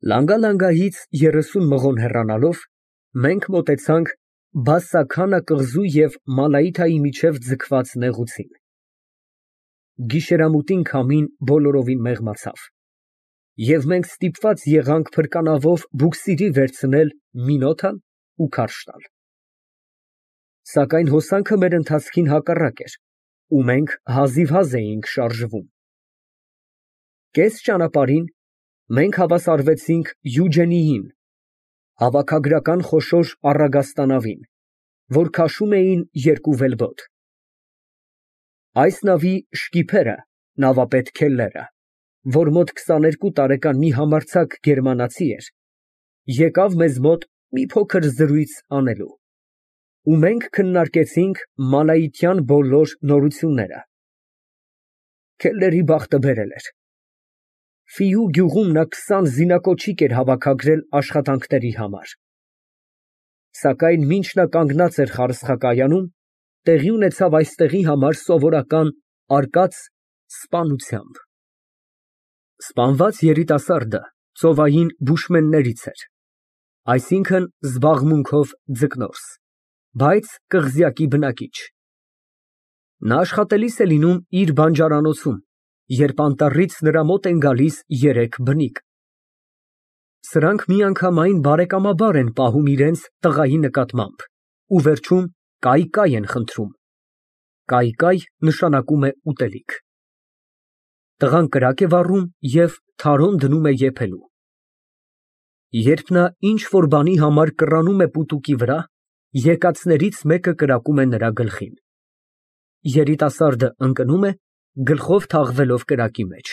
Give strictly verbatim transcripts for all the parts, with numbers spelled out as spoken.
Լանգալանգայից երեսուն մղոն հեռանալով, մենք մոտեցանք Բասսաքանա կղզու և Մալայիթայի միջև ձգված նեղուցին. գիշերամութին քամին բոլորովին մեղմացավ, և մենք ստիպված եղանք փրկանավով բուքսիրի վերցնել Մինոթն ու քարշ տալ. Սակայն հոսանքը մեր ընթացքին հակառակ էր, ու մենք հազիվհազ էինք շարժվում։ Կես ճանապարհին մենք հավասարվեցինք Յուջենիին, հավաքագրական խոշոր առագաստանավին, որ քաշում էին երկու վելբոտ։ Այս նավի շկիփերը նավապետ Քելլերը, որ մոտ քսաներկու տարեկան մի համարձակ գերմանացի էր, եկավ մեզ մոտ մի փոքր զրույց անելու, ու մենք քննարկեցինք մալայիթյան բոլոր նորությունները։ Քելլերի բախտը բերել էր. Ֆիու գյուղում նա քսան զինակոչիկ էր հավաքագրել աշխատանքների համար։ Սակայն մինչ նա կանգնած էր խարսխակայանում, տեղի ունեցավ այստեղի համար սովորական արկած սպանությամբ։ Սպանված երիտասարդը ծովային բուշմեններից էր, այսինքն զբաղմունքով ձկնորս, բայց կղզյակի բնակիչ։ Նա աշխատելիս է լինում իր բանջարանոցում, երբ անտառից նրա մոտ են գալիս երեք բնիկ։ Սրանք միանգամայն բարեկամաբար են պահում իրենց տղայի նկատմամբ ու վերջում կայ֊կայ են խնդրում (կայ֊կայ նշանակում է ուտելիք)։ Տղան կրակ է վառում և թարոն դնում է եփելու։ Երբ նա ինչ֊որ բանի համար կռանում է պուտուկի վրա, եկածներից մեկը կրակում է նրա գլխին։ Երիտասարդը ընկնում է, գլխով թաղվելով կրակի մեջ,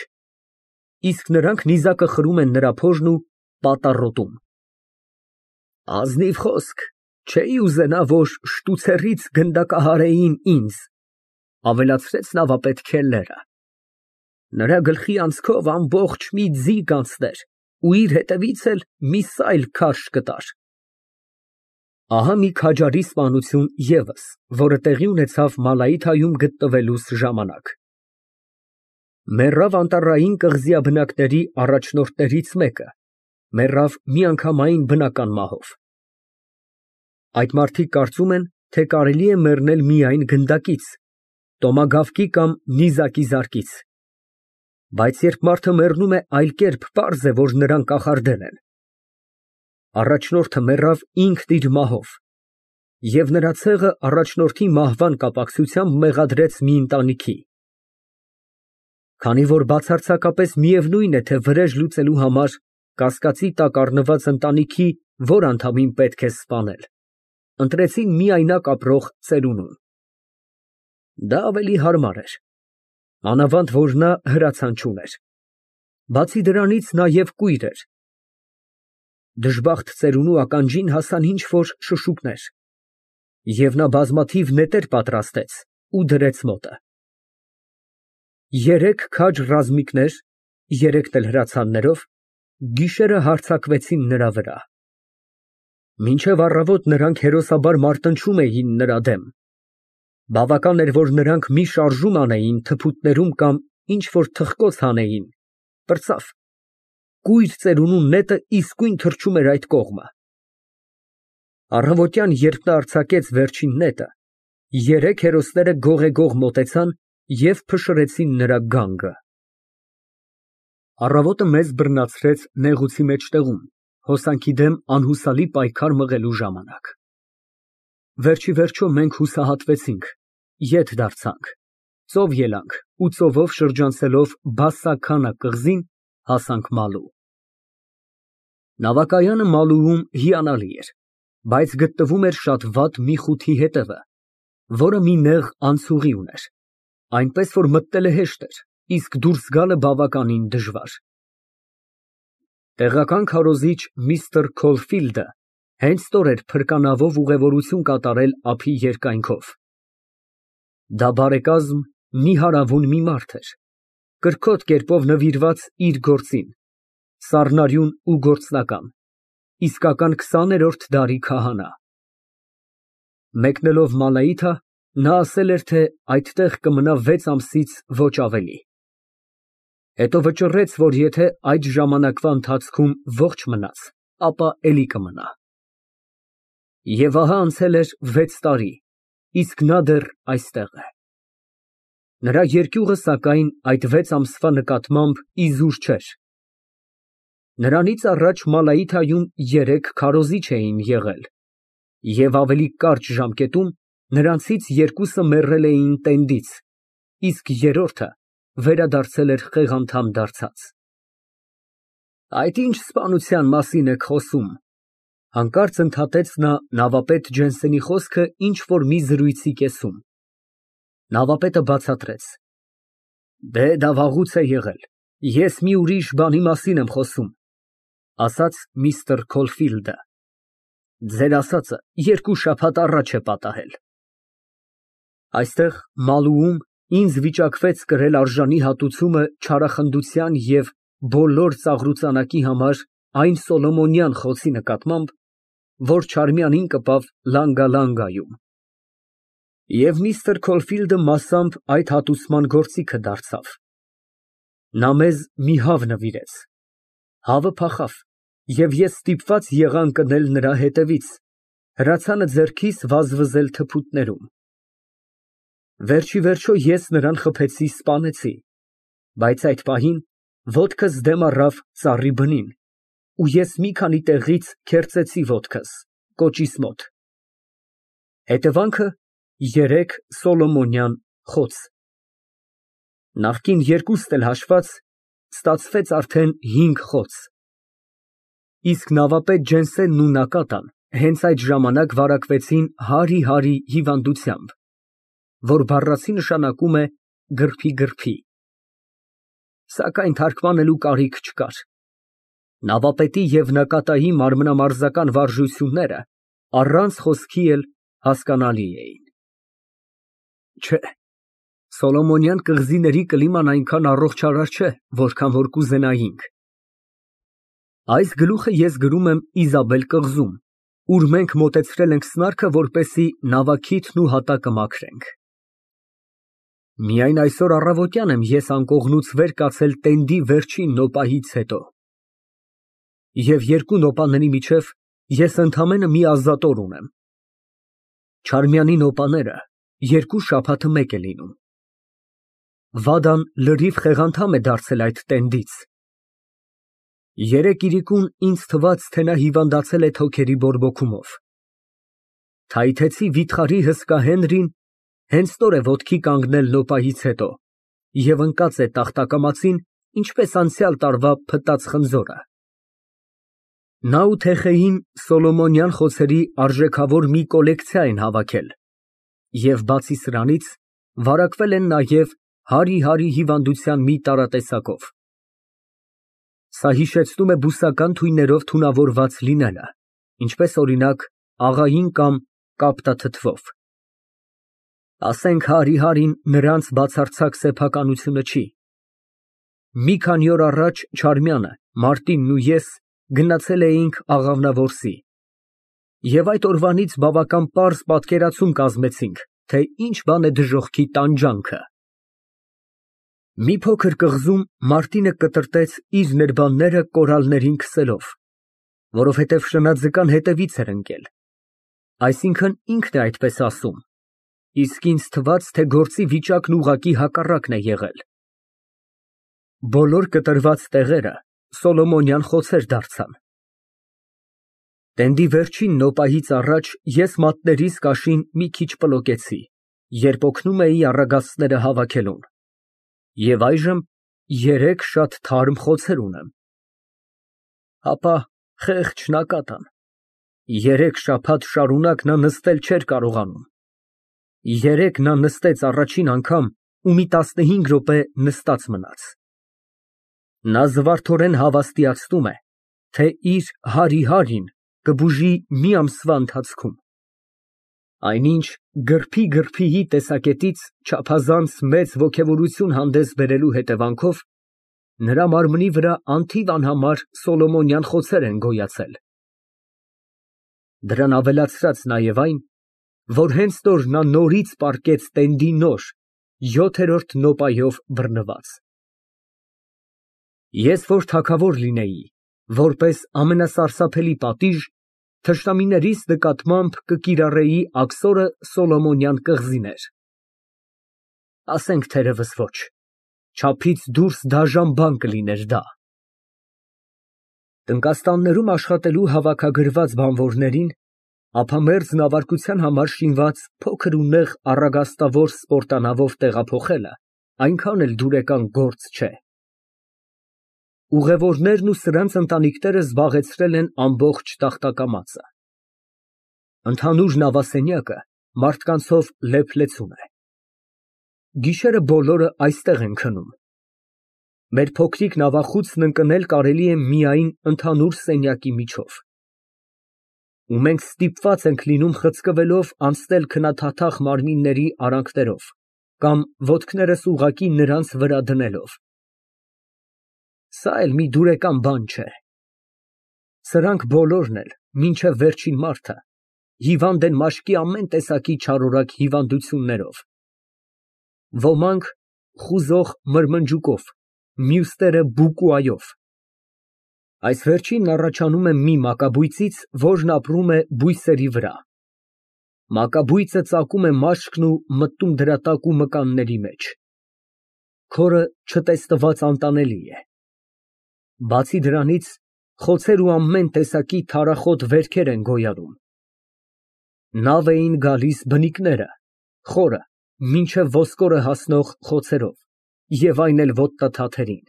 իսկ նրանք նիզակը խրում են նրա փորն ու պատառոտում։ Ազնիվ խոսք, չէի ուզենա, որ շտուցեռից գնդակահարեին ինձ, ավելացրեց նավապետ Քելլերը։ Նրա գլխի անցքով ամբողջ մի ձի կանցներ ու իր հետևից էլ մի սայլ քարշ կտար։ Ահա մի քաջարի սպանություն ևս, որը տեղի ունեցավ Մալայիթայում գտնվելուս ժամանակ։ Մեռավ անտառային կղզյաբնակների առաջնորդներից մեկը, մեռավ միանգամայն բնական մահով։ Այդ մարդիկ կարծում են, թե կարելի է մեռնել միայն գնդակից, տոմագավկի կամ նիզակի զարկից, բայց երբ մարդը մեռնում է այլ կերպ, պարզ է, որ նրան կախարդել են։ Առաջնորդը մեռավ ինքն իր մահով, և նրա ցեղը առաջնորդի մահվան կապակցությամբ մեղադրեց մի ընտանիքի։ Քանի որ բացարձակապես միևնույն է, թե վրեժ լուծելու համար կասկածի տակ առնված ընտանիքի որ անդամին պետք է սպանել, ընտրեցին միայնակ ապրող ծերունուն։ Դա ավելի հարմար էր, մանավանդ որ նա հրացան չուներ, բացի դրանից նաև կույր էր։ Դժբախտ ծերունու ականջին հասան ինչ֊որ շշուկներ, և նա բազմաթիվ նետեր պատրաստեց ու դրեց մոտը։ Երեք քաջ ռազմիկներ, երեքն էլ հրացաններով, գիշերը հարձակվեցին նրա վրա։ Մինչև առավոտ նրանք հերոսաբար մարտնչում էին նրա դեմ։ Բավական էր, որ նրանք մի շարժում անեին թփուտներում կամ ինչ֊որ թխկոց հանեին, պրծավ, կույր ծերունու նետը իսկույն թռչում էր այդ կողմը։ Առավոտյան, երբ նա արձակեց վերջին նետը, երեք հերոսները գողեգող մոտեցան և փշրեցին նրա գանգը։ Առավոտը մեզ բռնացրեց նեղուցի մեջտեղում, հոսանքի դեմ անհուսալի պայքար մղելու ժամանակ։ Վերջիվերջո մենք հուսահատվեցինք, ետ դարձանք, ծով ելանք ու ծովով շրջանցելով Բասսաքանա կղզին, հասանք Մալու։ Նավակայանը Մալուում հիանալի էր, բայց գտնվում էր շատ վատ մի խութի հետևը, որը մի նեղ անցուղի ուներ, այնպես որ մտնելը հեշտ էր, իսկ դուրս գալը բավականին դժվար։ Տեղական քարոզիչ միստր Քոլֆիլդը հենց ստոր էր փրկանավով ուղևորություն կատարել ափի երկայնքով։ Դա բարեկազմ, նիհարավուն մի մարդ էր, կրքոտ կերպով նվիրված իր գործին, սառնարյուն ու գործնական, իսկական քսաներորդ դարի քահանա։ Մեկնելով Մալայիթա, նա ասել էր, թե այդտեղ կմնա վեց ամսից ոչ ավելի։ Հետո վճռեց, որ եթե այդ ժամանակվա ընթացքում ողջ մնաց, ապա էլի կմնա։ Եվ ահա անցել էր վեց տարի, իսկ նա դեռ այստեղ է։ Նրա երկյուղը, սակայն, այդ վեց ամսվա նկատմամբ իզուր չէր։ Նրանից առաջ Մալայիթայում երեք քարոզիչ էին եղել, և ավելի կարճ ժամկետում նրանցից երկուսը մեռել էին տենդից, իսկ երրորդը վերադարձել էր խեղանդամ դարձած։ Այդ ի՞նչ սպանության մասին եք խոսում, ֊ հանկարծ ընդհատեց նա նավապետ Ջենսենի խոսքը ինչ֊որ մի զրույցի կեսում։ Նավապետը բացատրեց. Դե դա վաղուց է եղել, ես մի ուրիշ բանի մասին եմ խոսում, ասաց միստր Քոլֆիլդը, ձեր ասածը երկու շաբաթ առաջ է պատահել։ Այստեղ Մալուում ինձ վիճակվեց կրել արժանի հատուցումը չարախնդության և բոլոր ծաղրուծանակի համար այն Սոլոմոնյան խոցի նկատմամբ, որ Չարմյանին կպավ Լանգալանգայում։ Եվ միստր Քոլֆիլդը մասամբ այդ հատուցման գործիքը դարձավ։ Նա մեզ մի հավ նվիրեց։ Հավը փախավ, և ես ստիպված եղա ընկնել նրա հետևից, հրացանը ձեռքիս վազվզել թփուտներում։ Վերջիվերջո ես նրան խփեցի, սպանեցի, բայց այդ պահին ոտքս դեմ առավ ծառի բնին, ու ես մի քանի տեղից քերծեցի ոտքս, կոճիս մոտ։ Հետևանքը երեք Սոլոմոնյան խոց։ Նախկին երկուստ էլ հաշված, ստացվեց արդեն հինգ խոց։ Իսկ նավապետ Ջենսենն ու Նակատան հենց այդ ժամանակ վարակվեցին հարի֊հարի հիվանդությամբ, որ բառացի նշանակում է գրփի֊գրփի։ Սակայն թարգմանելու կարիք չկար։ Նավապետի և Նակատայի մարմնամարզական վարժությունները առանց խոսքի էլ հասկանալի էին։ Չէ, Սոլոմոնյան կղզիների կլիման այնքան առողջարար չէ, որքան որ կուզենայինք։ Այս գլուխը ես գրում եմ Իզաբել կղզում, ուր մենք մոտեցրել ենք սնարքը, որպեսզի նավաքիթն ու հատակը մաքրենք։ Միայն այսօր առավոտյան եմ ես անկողնուց վեր կացել տենդի վերջին նոպահից հետո։ Եվ երկու նոպաների միջև ես ընդամենը մի ազատոր ունեմ։ Չարմյանի նոպաները երկու շաբաթը մեկ է լինում։ Վադան լրիվ խեղանդամ է դարձել այդ տենդից։ Երեկ իրիկուն ինձ թվաց, թե նա հիվանդացել է թոքերի բորբոքումով։ Թայթեցի վիթխարի հսկա Հենրին հենց նոր է ոտքի կանգնել նոպահից հետո և ընկած է տախտակամածին, ինչպես անցյալ տարվա փտած խնձորը։ Նա ու Թեխեին Սոլոմոնյան խոցերի արժեքավոր մի կոլեկցիա են հավաքել և բացի սրանից վարակվել են նաև հարի֊հարի հիվանդության մի տարատեսակով։ Սա հիշեցնում է բուսական թույներով թունավորված լինելը, ինչպես օրինակ աղային կամ կապտաթթվով։ Ասենք հարի֊հարին նրանց բացարձակ սեփականությունը չի։ Մի քանի օր առաջ Չարմյանը, Մարտինն ու ես գնացել էինք Աղավնավորսի և այդ օրվանից բավական պարզ պատկերացում կազմեցինք, թե ինչ բան է դժոխքի տանջանքը։ Մի փոքր կղզում Մարտինը կտրտեց իր ներբանները կորալներին քսելով, որովհետև շնաձկան հետևից էր ընկել, այսինքն ինքն է այդպես ասում, իսկ ինձ թվաց, թե գործի վիճակն ուղղակի հակառակն է եղել։ Բոլոր կտրված տեղերը Սոլոմոնյան խոցեր դարձան։ Տենդի վերջին նոպահից առաջ ես մատներիս կաշին մի քիչ պլոկեցի, երբ օգնում էի առագաստները հավաքելուն, և այժմ երեք շատ թարմ խոցեր ունեմ։ Հապա խեղճ Նակատան, երեք շաբաթ շարունակ նա նստել չէր կարողանում։ Երեկ նա նստեց առաջին անգամ ու մի տասնհինգ րոպե նստած մնաց։ Նա զվարթորեն հավաստիացնում է, թե իր հարի֊հարին կբուժի մի ամսվա ընթացքում։ Այնինչ գրփի֊գրփիի տեսակետից չափազանց մեծ ոգևորություն հանդես բերելու հետևանքով նրա մարմնի վրա անթիվ անհամար Սոլոմոնյան խոցեր են գոյացել։ Դրան ավելացրած նաև այն, որ հենց նոր նա նորից պառկեց տենդի նոր, յոթերորդ նոպայով բռնված։ Ես որ թագավոր լինեի, որպես ամենասարսափելի պատիժ, թշնամիներիս նկատմամբ կկիրառեի աքսորը Սոլոմոնյան կղզիներ։ Ասենք թերևս ոչ, չափից դուրս դաժան բան կլիներ դա։ Տնկաստաններում աշխատելու հավաքագրված բանվորներին ափամերձ նավարկության համար շինված փոքր ու նեղ առագաստավոր սպորտանավով տեղափոխելը այնքան էլ դուրեկան գործ չէ։ Ուղևորներն ու սրանց ընտանիքները զբաղեցրել են ամբողջ տախտակամածը։ Ընդհանուր նավասենյակը մարդկանցով լեփ-լեցուն է։ Գիշերը բոլորը այստեղ են քնում։ Մեր փոքրիկ նավախուցն ընկնել կարելի է միայն ընդհանուր սենյակի միջով։ Ու մենք ստիպված ենք լինում խցկվելով անցնել քնաթաթախ մարմինների արանքներով կամ ոտքներս ուղղակի նրանց վրա դնելով։ Սա էլ մի դուրեկան բան չէ։ Սրանք բոլորն էլ, մինչև վերջին մարդը, հիվանդ են մաշկի ամեն տեսակի չարորակ հիվանդություններով։ Ոմանք խուզող մրմնջուկով, մյուսները բուկուայով։ Այս վերջինն առաջանում է մի մակաբույծից, որն ապրում է բույսերի վրա։ Մակաբույծը ծակում է մաշկն ու մտնում դրա տակ ու մկանների մեջ։ Քորը չտեսնված անտանելի է։ Բացի դրանից, խոցեր ու ամեն տեսակի թարախոտ վերքեր են գոյանում։ Նավ էին գալիս բնիկները, խորը, մինչև ոսկորը հասնող խոցերով, և այն էլ ոտնաթաթերին։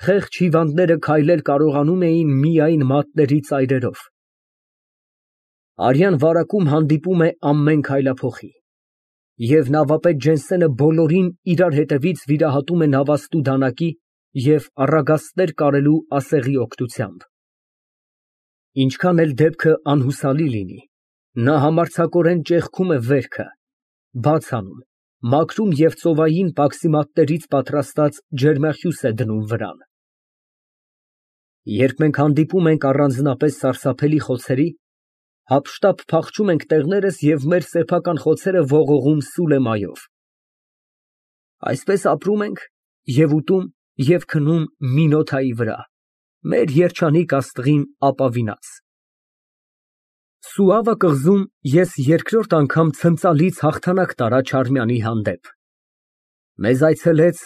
Խեղճ հիվանդները քայլել կարողանում էին միայն մատների ծայրերով։ Արյան վարակում հանդիպում է ամեն քայլափոխի, և նավապետ Ջենսենը բոլորին իրար հետևից վիրահատում է նավաստու դանակի և առագաստներ կարելու ասեղի օգնությամբ։ Ինչքան էլ դեպքը անհուսալի լինի, նա համարձակորեն ճեղքում է վերքը, բաց անում, մաքրում և ծովային պաքսիմատներից պատրաստած ջերմախյուս է դնում վրան։ Երբ մենք հանդիպում ենք առանձնապես սարսափելի խոցերի, հափշտապ փախչում ենք տեղներս և մեր սեփական խոցերը ողողում Սուլեմայով։ Այսպես ապրում ենք և ուտում և քնում Մինոթայի վրա, մեր երջանիկ աստղին ապավինած։ Սուավա կղզում ես երկրորդ անգամ ցնծալից հաղթանակ տարա Չարմյանի հանդեպ։ Մեզ այցելեց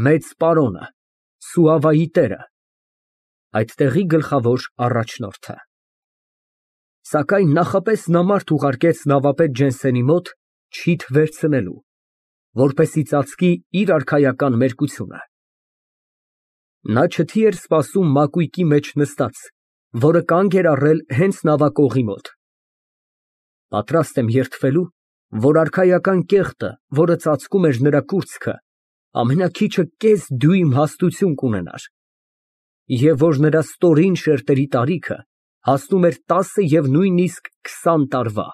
մեծ պարոնը, Սուավայի տերը, այդ տեղի գլխավոր առաջնորդը։ Սակայն նախապես նա մարդ ուղարկեց նավապետ Ջենսենի մոտ չիթ վերցնելու, որպեսզի ծածկի իր արքայական մերկությունը։ Նա չթի էր սպասում մակույկի մեջ նստած, որը կանգ էր առել հենց նավակողի մոտ։ Պատրաստ եմ երդվելու, որ արքայական կեղտը, որը ծածկում էր նրա կուրծքը, ամենաքիչը կես դյույմ հաստություն կունենար, և որ նրա ստորին շերտերի տարիքը հասնում էր տասը և նույնիսկ քսան տարվա։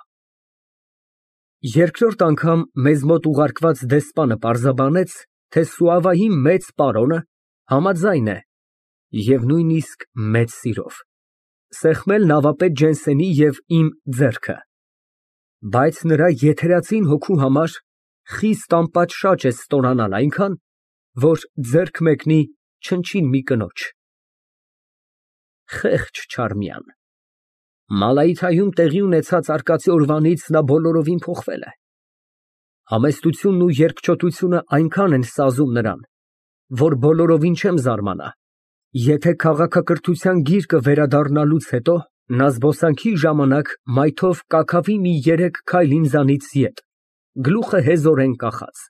Երկրորդ անգամ մեզ մոտ ուղարկված դեսպանը պարզաբանեց, թե Սուավայի մեծ պարոնը համաձայն է և նույնիսկ մեծ սիրով սեղմել նավապետ Ջենսենի և իմ ձեռքը, բայց նրա եթերացին հոգու համար խիստ անպատշաճ է ստորանալ այնքան, որ ձեռք մեկնի չնչին մի կնոջ։ Խեղճ Չարմյան, Մալայիթայում տեղի ունեցած արկածի օրվանից նա բոլորովին փոխվել է։ Համեստությունն ու երկչոտությունը այնքան են սազում նրան, որ բոլորովին չեմ զարմանա, եթե քաղաքակրթության գիրկը վերադառնալուց հետո նա զբոսանքի ժամանակ մայթով կաքավի մի երեք քայլ ինձանից ետ, գլուխը հեզորեն կախած։